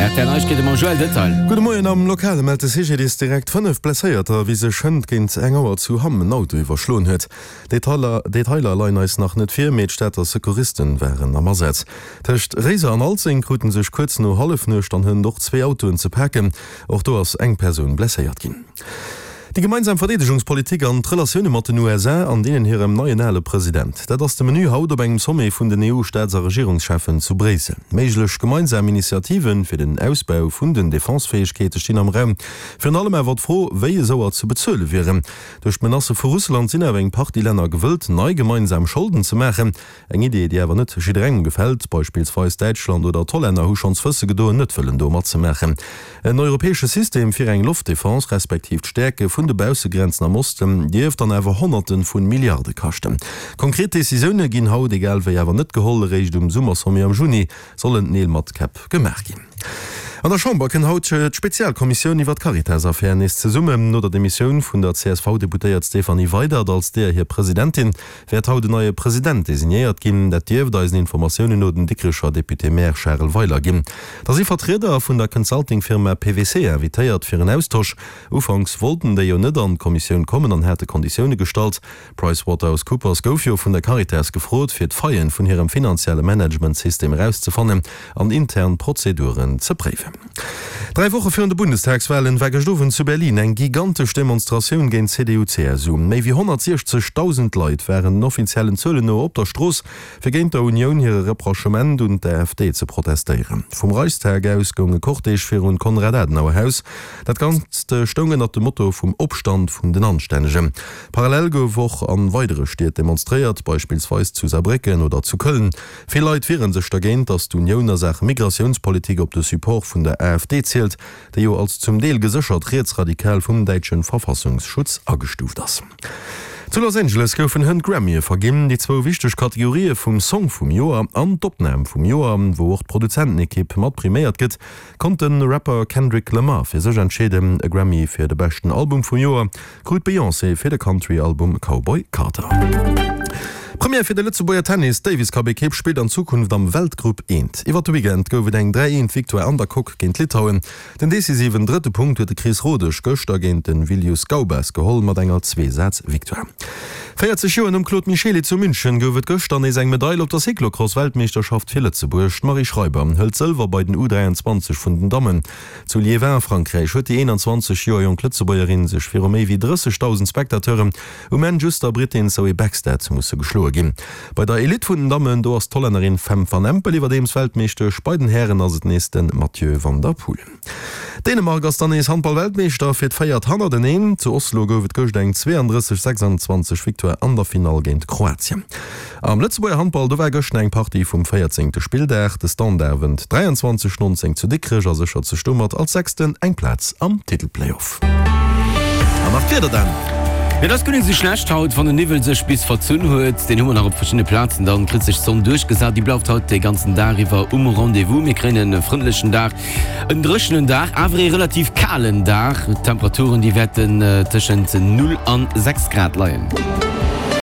Rtl Neiegkeete mam Joël Detail. Gudde Moien, Am Lokale mellt de CGDIS direkt 5 Blesséierter, wéi sech hënt géint eng Auer zu Hamm en Auto iwwerschloen huet. Detailer Detailer leien eis nach net vir, mee d'Stater Secouristen waren am Asaz. Tëscht Réiser an Alzeng krute sech kuerz no Hallefnuecht an hënt och zwee Autoen ze paken. Och do ass eng Persoun blesséiert ginn. Déi gemeinsam Verdeedegungspolitik an d'Relatioune mat den USA an deenen hirem neien ale President, dat ass de Menü haut op engem Sommet vun den EU-Staats a Regierungscheffen zu Bréissel. Méiglech gemeinsam Initiative fir den Ausbau vun den Defensefäegkeete stinn am Raum. Virun allem awer d'Fro, wéi esouer ze bezuele wieren. Duerch d'Menacë vu Russland sinn awer eng Partie Länner gewëllt, nei gemeinsam Scholden ze maachen. Eng Idee, déi awer net jidderengem gefält. Beispillsweis Däitschland oder d'Hollänner hu schonns wësse gedoen, net wëllen do matzemaachen. En europäesche System fir eng Loftdefense, respektiv d'Stäerke vun de Baussegrenzen am Osten, dierft dann awer Honnerte vu Milliarde kaschten. Konkret Decisioune ginn haut egal wéi awer net geholl. Eréischt um Summersommet am Juni sollen Neel mat Käpp gemaach ginn. An der Chamber kënn haut d'Spezialkommissioun iwwer d'Caritas-Affär nees zesummen. No der Demissioun vun der CSV-Deputéiert Stéphanie Weydert als deeër hir Presidentin, wäert haut en neie President designéiert ginn. Dat dierft eisen Informatiounen no den Dikrecher Député-Maire Charel Weiler ginn. Da si Vertrieder vun der Consulting-Firma PWC invitéiert fir en Austosch. Ufanks wollten déi jo net an d'Kommissioun kommen an hate Konditioune gestallt. PricewaterhouseCoopers gouf jo vun der Caritas gefrot, fir d'Faillen vun hirem finanzielle Managementsystem erauszefannen an intern Prozeduren ze préiwen. Dräi Woche virun de Bundestagswalen war gëscht Owend zu Berlin eng gigantesch Demonstratioun géint CDU-CSU. Méi wéi 160.000 Leit waren den offiziellen Zuelen no op der Strooss, fir géint der Unioun hire Reprochement un d'AfD ze protestéieren. Vum Reichstag aus goung e Cortège virun d'Konrad-Adenauer-Haus. Dat Ganzt stoung ënnert dem Motto vum Opstand vun den Anstännegen. Parallel gouf och an weidere Stied demonstréiert, beispillsweis zu Saarbrécken oder zu Köln. Vill Leit wiere sech dergéint, datt d'Unioun a Saache Migratiounspolitik op de Support vun der AfD zielt, déi jo als zum Deel geséchert rietsradikal vum däitsche Verfassungsschutz agestuuft ass. Zu Los Angeles goufen hënt d'Grammye verginn, déi zwou wichteg Kategorië vum Song vum Joer an d'Opnam vum Joer, wou och d'Produzentenekipp mat priméiert gëtt, konnt de Rapper Kendrick Lamar fir sech entscheeden. E Grammy fir de beschten Album vum Joer Krut d'Beyoncé fir de Country-Album Cowboy Carter. Première fir de Lëtzebuerger Tennis, D'Davis Cup Ekipp spillt an Zukunft am Weltgrupp I. Iwwer de Weekend gouf et eng 3 eent Victoire an der Coque géint Litauen. Den decisiven drëtte Punkt huet de Chris Rodesch gëschter géint de Vilius Gaubas geholl mat enger Zweesaz-Victoire. 40 Joer nom Claude Michely zu München gouf et gëschter nees eng Medail op der Cyclocross-Weltmeeschterschaft fir Lëtzebuerg. D'Marie Schreiber hëlt Sëlwer bei den U 23 vun den Dammen. Zu Liévin a Frankräich huet déi 21 Joer jonk Lëtzebuergerin sech viru méi wéi 30.000 Spectateuren um Enn just der Brittin Zoe Bäckstedt musse geschloe ginn. Bei der Elite vun den Dammen, do ass d'Hollännerin Fem van Empel iwwerdeems Weltmeeschtesch, bei den Hären ass et nees de Mathieu van der Poel. Dänemark ass dann nees Handball-Weltmeeschter fir d'véiert hannerteneen. Zu Oslo gouf et gëscht eng 32, 26 Victoire an der Finall géint Kroatien. Am Lëtzebuerger Handball, do war gëschten eng Partie vum 14. Spilldag. De Standard wënnt 23, 19 zu Dikrech a séchert sech domat als Sechsten eng Plaz am Titelplayoff. An nach d'Wieder dann. Et ass guer net esou schlecht haut, wann den Niwwel sech bis verzunn huet. Deen hu mer nach op verschiddene Plazen. Dann kritt sech d'Sonn duerchgesat. Déi bleift haut de ganzen Dag iwwer um Rendez-vous. Mir kréien e frëndlechen Dag, en dréchenen Dag, awer ee relativ kalen Dag. D'Temperaturen, déi wäerten tëschent 0 an 6 Grad leien.